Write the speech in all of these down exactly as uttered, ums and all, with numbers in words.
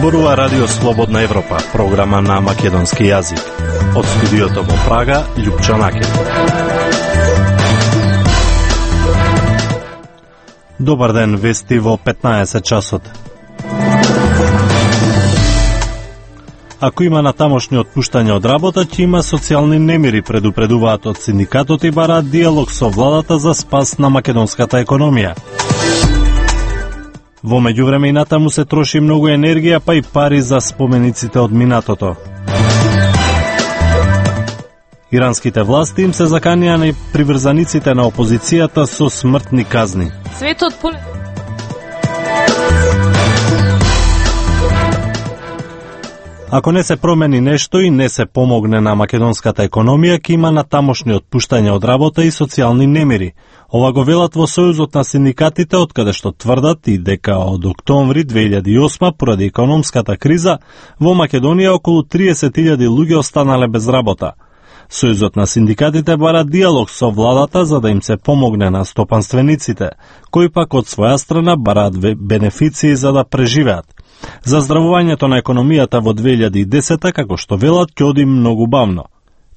зборува Радио Слободна Европа, програма на македонски јазик. Од студиото во Прага, Љупчо Накел. Добар ден, вести во петнаесет часот. Ако има натамошни отпуштања од работа, ќе има социјални немири, предупредуваат од синдикатот и бараат диалог со владата за спас на македонската економија. Во меѓувреме и натаму се троши многу енергија, па и пари за спомениците од минатото. Иранските власти им се заканија на приврзаниците на опозицијата со смртни казни. Светот по... Ако не се промени нешто и не се помогне на македонската економија, ќе има натамошни отпуштања од работа и социјални немири. Ова го велат во Сојузот на синдикатите, откаде што тврдат и дека од октомври две илјади и осма, поради економската криза, во Македонија околу триесет илјади луѓе останале без работа. Сојузот на синдикатите бара диалог со владата за да им се помогне на стопанствениците, кои пак од своја страна бараат бенефиции за да преживеат. Заздравувањето на економијата во две илјади и десета, како што велат, ќе оди многу бавно.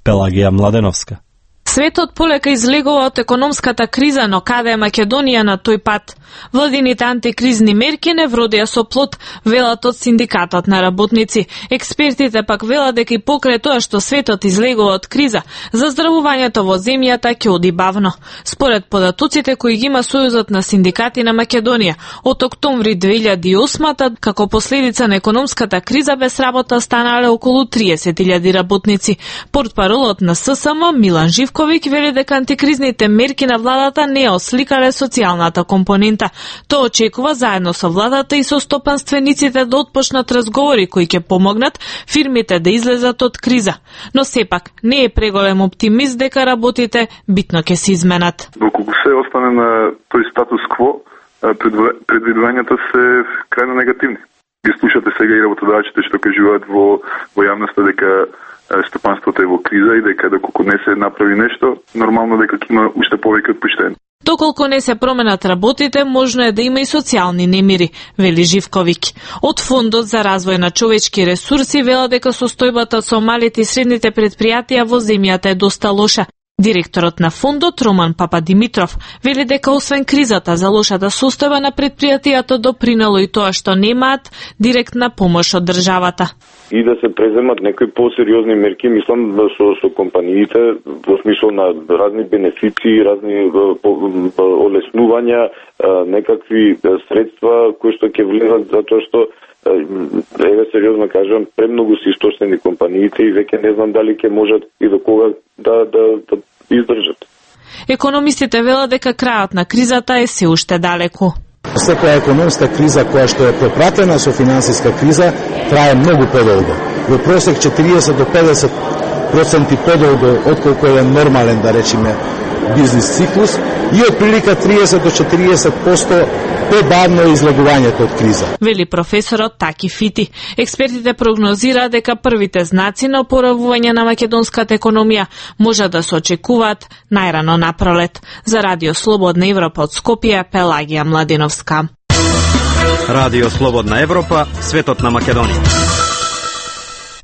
Пелагија Младеновска. Светот полека излегува од економската криза, но каде е Македонија на тој пат? Владините антикризни мерки не вродија со плод, велат од синдикатот на работници. Експертите пак велат дека и покрај тоа што светот излегува од криза, заздравувањето во земјата ќе оди бавно. Според податоците кои ги има Сојузот на синдикати на Македонија, од октомври две илјади и осма, како последица на економската криза, без работа станале околу триесет илјади работници. Портпаролот на ССМ Милан Живковиќ вели дека антикризните мерки на владата не осликале социјалната компонента. Тоа очекува заедно со владата и со стопанствениците да отпочнат разговори кои ќе помогнат фирмите да излезат од криза. Но сепак не е преголем оптимист дека работите битно ќе се изменат. Доколку се остане на тој статус кво, предвидувањата се крајно негативни. Ги слушате сега и работодавачите што кажуваат во во јавноста дека стопанството е во криза и дека доколку не се направи нешто, нормално дека ќе има уште повеќе отпуштања. Доколку не се променат работите, можно е да има и социјални немири, вели Живковиќ. Од Фондот за развој на човечки ресурси вела дека состојбата со малите и средните предпријатија во земјата е доста лоша. Директорот на фондот Роман Пападимитров вели дека освен кризата за лошата состојба на предпријатијата допринело и тоа што немаат директна помош од државата. И да се преземат некои посериозни мерки, мислам, со, со компаниите, во смисол на разни бенефиции, разни олеснувања, некакви средства кои што ќе влезат, затоа што еве сериозно кажам, премногу се истощени компаниите и веќе не знам дали ќе можат и до кога да, да, да издржат. Економистите велат дека крајот на кризата е се уште далеку. Секоја економска криза која што е пропратена со финансиска криза трае многу подолго. Во просек четириесет до педесет проценти подолго отколку е нормален, да речеме, бизнис циклус и од прилика триесет до четириесет проценти побавно излегувањето од криза. Вели професорот Таки Фити. Експертите прогнозираат дека првите знаци на опоравување на македонската економија може да се очекуваат најрано на пролет. За Радио Слободна Европа од Скопје, Пелагија Младеновска. Радио Слободна Европа, светот на Македонија.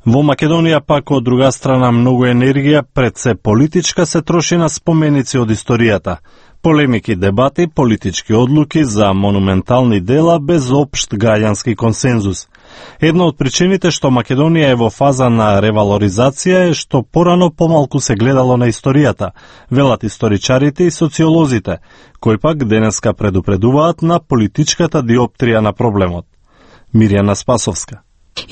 Во Македонија пак од друга страна многу енергија пред се политичка се троши на споменици од историјата. Полемики дебати, политички одлуки за монументални дела без општ граѓански консензус. Една од причините што Македонија е во фаза на ревалоризација е што порано помалку се гледало на историјата, велат историчарите и социолозите, кои пак денеска предупредуваат на политичката диоптрија на проблемот. Мирјана Спасовска.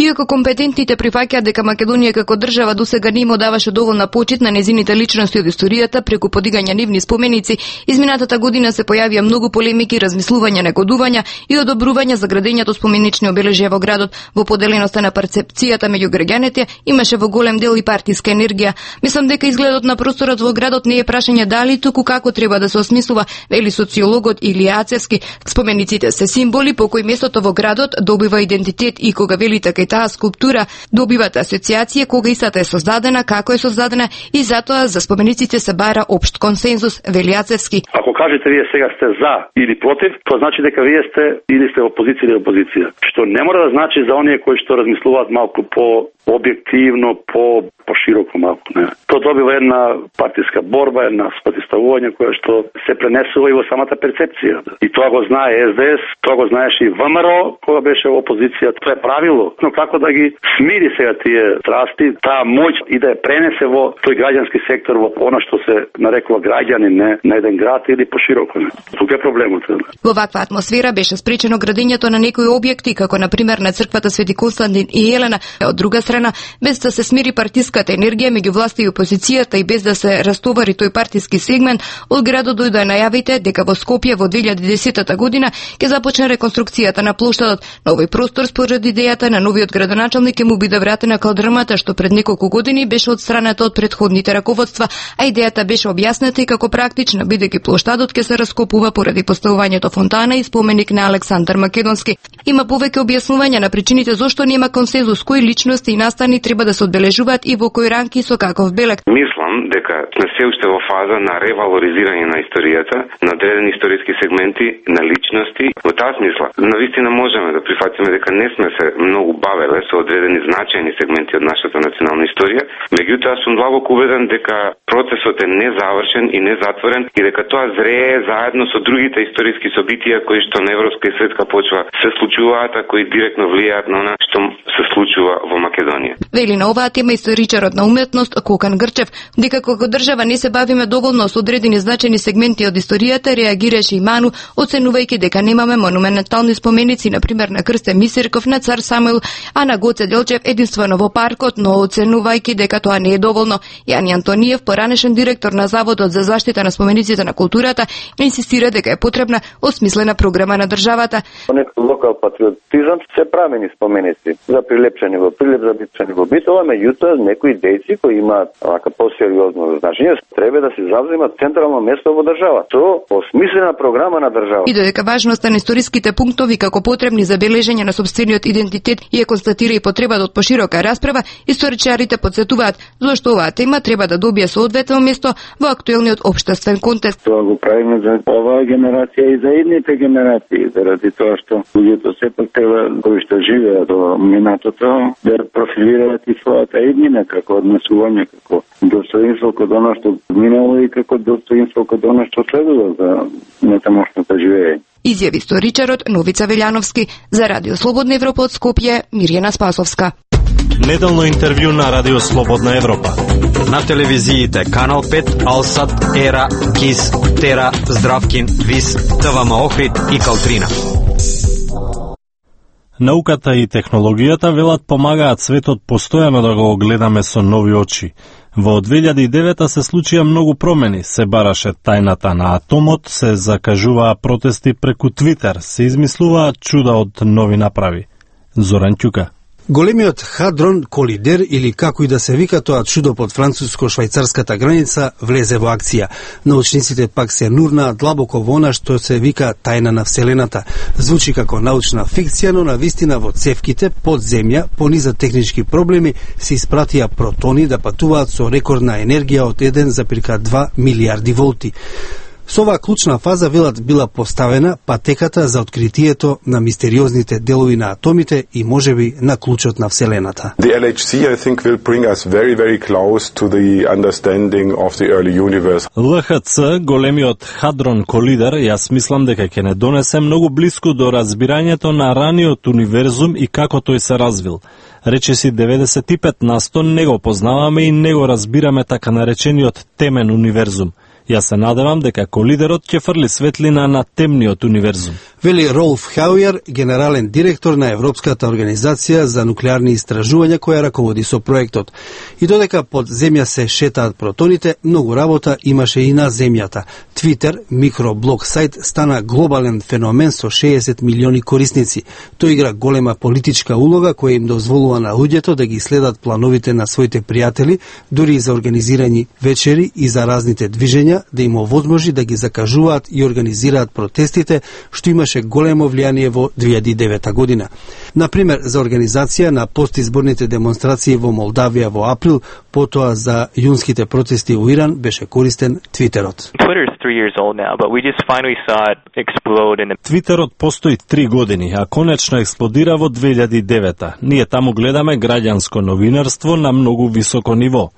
Иако компетентните прифаќаат дека Македонија како држава досега не им даваше доволна почит на незините личности од историјата преку подигање нивни споменици, изминатата година се појавија многу полемики, размислувања, негодувања и одобрувања за градењето споменични обележја во градот. Во поделеноста на перцепцијата меѓу граѓаните имаше во голем дел и партиска енергија. Мислам дека изгледот на просторот во градот не е прашање дали, туку како треба да се осмислува, вели социологот Илија Ацевски. Спомениците се символи по кои местото во градот добива идентитет и кога вели така дека и таа скулптура добиват асоциација кога истата е создадена, како е создадена и затоа за спомениците се бара општ консензус, вели Јацевски. Ако кажете вие сега сте за или против, тоа значи дека вие сте или сте опозиција или опозиција. Што не мора да значи за оние кои што размислуваат малку по објективно, по пошироко малку, не. Тоа добива една партиска борба, една спротивставување која што се пренесува и во самата перцепција. И тоа го знае Ес Де Ес, тоа го знаеше и Вэ Ем Ер О кога беше во опозиција. Тоа е правило, но како да ги смири сега тие страсти, таа моќ и да ја пренесе во тој граѓански сектор, во она што се нарекува граѓани, не на еден град или пошироко, не. Тука е проблемот. Во ваква атмосфера беше спречено градењето на некои објекти, како на пример на црквата Свети Константин и Елена. Од друга страна, без да се смири партиската енергија меѓу власта и опозицијата и без да се растовари тој партиски сегмент, од градот дојдоа најавите дека во Скопје во две илјади и десета година ќе започне реконструкцијата на плоштадот. На овој простор според идејата на новиот градоначалник ќе му биде вратена калдрмата што пред неколку години беше отстраната од предходните раководства, а идејата беше објасната и како практична, бидејќи плоштадот ќе се раскопува поради поставувањето фонтана и споменик на Александар Македонски. Има повеќе објаснувања на причините зошто нема консензус кои личности и настани треба да се одбележуваат и во кој ранки со каков белег. Мислам дека сме се уште во фаза на ревалоризирање на историјата, на одредени историски сегменти, на личности. Во таа смисла, навистина можеме да прифатиме дека не сме се многу бавеле со одредени значајни сегменти од нашата национална историја, меѓутоа сум длабоко убеден дека процесот е незавршен и незатворен и дека тоа зрее заедно со другите историски собитија кои што на европска и светска почва се случуваат, а кои директно влијаат на она што се случува во Македонија. Вели на оваа тема историчарот на уметност Кокан Грчев, дека како држава не се бавиме доволно со одредени значајни сегменти од историјата, реагираше и Ману, оценувајќи дека немаме монументални споменици, на пример на Крстен Мисирков, на Цар Самуил, а на Гоце Делчев единствено во паркот, но оценувајќи дека тоа не е доволно. Јани Антониев, поранешен директор на Заводот за заштита на спомениците на културата, инсистира дека е потребна осмислена програма на државата. Некој локал патриотизам се прамени споменици за прилепчани во Прилеп, за битчани во Битола, меѓутоа некои дејци кои имаат вака посериозно значење треба да се завземат централно место во држава. Со осмислена програма на држава. И додека важноста на историските пунктови како потребни за бележење на сопствениот идентитет и ја констатира и потребата од поширока расправа, историчарите потсетуваат зошто оваа тема треба да добие соодветно место во актуелниот општествен контекст. Тоа го правиме за оваа генерација и за идните генерации, заради тоа што луѓето сепак треба кои што живеат во минатото да профилираат и својата иднина како однесување, како достоинство код оно што минало и како достоинство код оно што следува за нетамошното живење. Изјави историчарот Новица Велјановски за Радио Слободна Европа од Скопје, Мирјана Спасовска. Неделно интервју на Радио Слободна Европа. На телевизиите Канал пет, Алсат, Ера, Кис, Тера, Здравкин, Вис, ТВМ Охрид и Калтрина. Науката и технологијата велат помагаат светот постојано да го гледаме со нови очи. Во две илјади и девета се случија многу промени, се бараше тајната на атомот, се закажуваа протести преку Твитер, се измислуваа чуда од нови направи. Зоран Ќука. Големиот хадрон колидер, или како и да се вика тоа чудо под француско-швајцарската граница, влезе во акција. Научниците пак се нурнаа длабоко во она што се вика тајна на Вселената. Звучи како научна фикција, но на вистина во цевките под земја, пониза технички проблеми, се испратија протони да патуваат со рекордна енергија од еден запирка два милиарди волти. Со оваа клучна фаза, велат, била поставена патеката за откритието на мистериозните делови на атомите и можеби на клучот на Вселената. The L H C, I think, will bring us very, very close to the understanding of the early universe. Л Х Ц, големиот хадрон колидер, јас мислам дека ќе не донесе многу близко до разбирањето на раниот универзум и како тој се развил. Речиси деветдесет и пет на сто не го познаваме и не го разбираме така наречениот темен универзум. Јас се надевам дека колидерот ќе фрли светлина на темниот универзум. Вели Ролф Хаујер, генерален директор на Европската организација за нуклеарни истражувања која раководи со проектот. И додека под земја се шетаат протоните, многу работа имаше и на земјата. Твитер, микроблог сајт, стана глобален феномен со шеесет милиони корисници. Тој игра голема политичка улога која им дозволува на луѓето да ги следат плановите на своите пријатели, дури и за организирани вечери и за разните движења луѓа да им овозможи да ги закажуваат и организираат протестите, што имаше големо влијание во две илјади и девета година. Например, за организација на постизборните демонстрации во Молдавија во април, потоа за јунските протести во Иран беше користен Твитерот. Твитерот постои три години, а конечно експлодира во две илјади и девета. Ние таму гледаме граѓанско новинарство на многу високо ниво.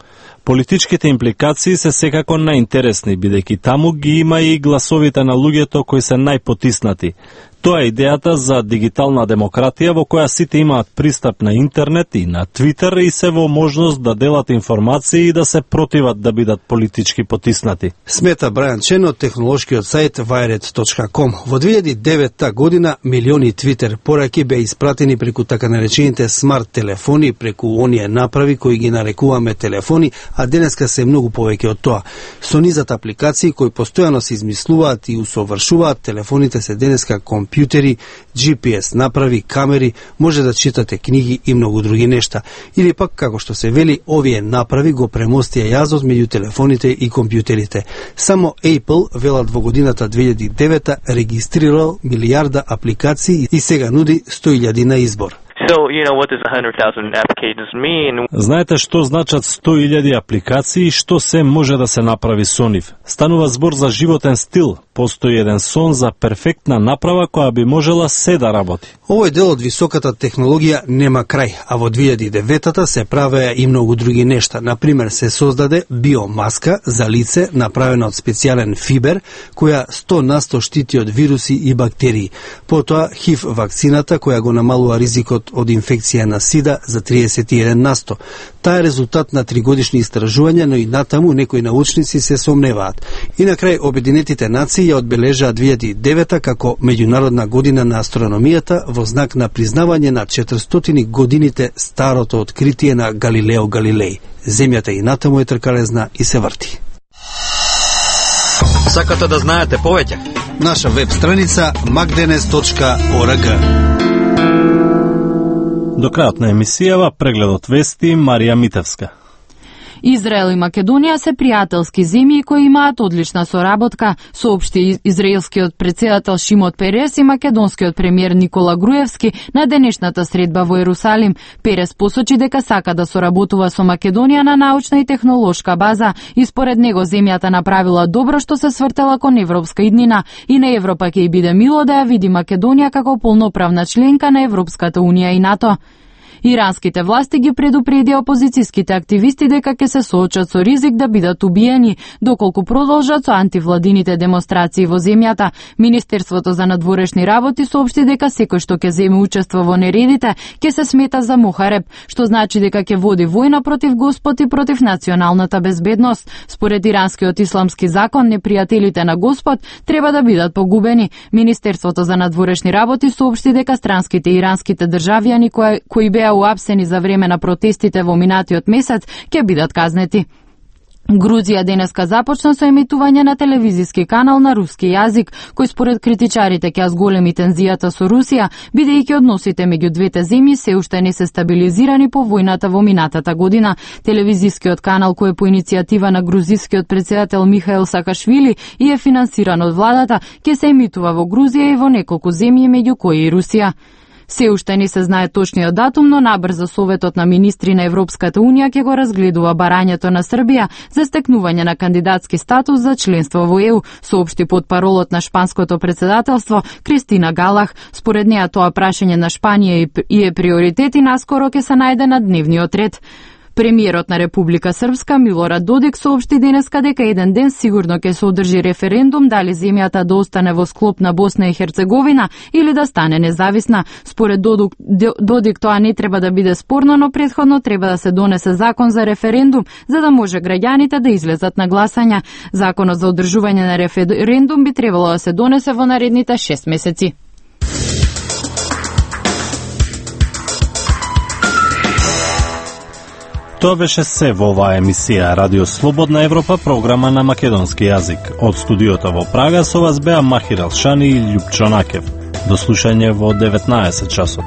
Политичките импликации се секако најинтересни, бидејќи таму ги има и гласовите на луѓето кои се најпотиснати. Тоа е идејата за дигитална демократија во која сите имаат пристап на интернет и на Твитер и се во можност да делат информации и да се противат да бидат политички потиснати. Смета Брајан Чен од технолошкиот сајт wired точка ком. Во две илјади и девета година милиони Твитер пораки беа испратени преку така наречените смарт телефони, преку оние направи кои ги нарекуваме телефони, а денеска се многу повеќе од тоа. Со низат апликации кои постојано се измислуваат и усовршуваат, телефоните се денеска компјутери, Джи Пи Ес направи, камери, може да читате книги и многу други нешта. Или пак, како што се вели, овие направи го премостија јазот меѓу телефоните и компјутерите. Само Apple, велат во годината две илјади и девета, регистрирал милијарда апликации и сега нуди сто илјади на избор. So, you know, what does one hundred thousand applications mean? Знаете што значат сто илјади апликации и што се може да се направи со нив? Станува збор за животен стил. Постои еден сон за перфектна направа која би можела се да работи. Овој дел од високата технологија нема крај, а во две илјади и девета се правеа и многу други нешта. Например, се создаде биомаска за лице направена од специјален фибер, која сто на сто штити од вируси и бактерии. Потоа ХИВ вакцината која го намалува ризикот од инфекција на СИДА за триесет и еден на сто. Таа е резултат на тригодишни истражувања, но и натаму некои научници се сомневаат. И на крај Обединетите нации ја одбележаа две илјади и девета како меѓународна година на астрономијата во знак на признавање на четиристотини годините старото откритие на Галилео Галилеј. Земјата и натаму е тркалезна и се врти. Сакате да знаете повеќе? Наша веб страница макденес точка орг. До крајот на емисијава прегледот вести Марија Митевска. Израел и Македонија се пријателски земји кои имаат одлична соработка, соопшти израелскиот председател Шимон Перес и македонскиот премиер Никола Груевски на денешната средба во Ерусалим. Перес посочи дека сака да соработува со Македонија на научна и технолошка база и според него земјата направила добро што се свртела кон европска иднина и на Европа ќе и биде мило да ја види Македонија како полноправна членка на Европската унија и НАТО. Иранските власти ги предупредија опозицијските активисти дека ќе се соочат со ризик да бидат убиени, доколку продолжат со антивладините демонстрации во земјата. Министерството за надворешни работи соопшти дека секој што ќе земе учество во нередите ќе се смета за мухареб, што значи дека ќе води војна против Господ и против националната безбедност. Според иранскиот исламски закон, непријателите на Господ треба да бидат погубени. Министерството за надворешни работи соопшти дека странските иранските државјани кои, кои беа уапсени за време на протестите во минатиот месец ќе бидат казнети. Грузија денеска започна со емитување на телевизиски канал на руски јазик, кој според критичарите ќе зголеми тензијата со Русија, бидејќи односите меѓу двете земји се уште не се стабилизирани по војната во минатата година. Телевизискиот канал, кој е по иницијатива на грузискиот председател Михаил Сакашвили и е финансиран од владата, ќе се емитува во Грузија и во неколку земји, меѓу кои и Русија. Се уште не се знае точниот датум, но набрзо Советот на министри на Европската унија ќе го разгледува барањето на Србија за стекнување на кандидатски статус за членство во Е У, соопшти потпаролот на шпанското председателство Кристина Галах. Според неа тоа прашање на Шпанија и е приоритет и наскоро ќе се најде на дневниот ред. Премиерот на Република Српска Милорад Додик соопшти денеска дека еден ден сигурно ќе се одржи референдум дали земјата да остане во склоп на Босна и Херцеговина или да стане независна. Според Додик тоа не треба да биде спорно, но претходно треба да се донесе закон за референдум за да може граѓаните да излезат на гласање. Законот за одржување на референдум би требало да се донесе во наредните шест месеци. Тоа беше се во оваа емисија Радио Слободна Европа, програма на македонски јазик. Од студиото во Прага со вас беа Махир Алшани и Љупчо Накев. До слушање во деветнаесет часот.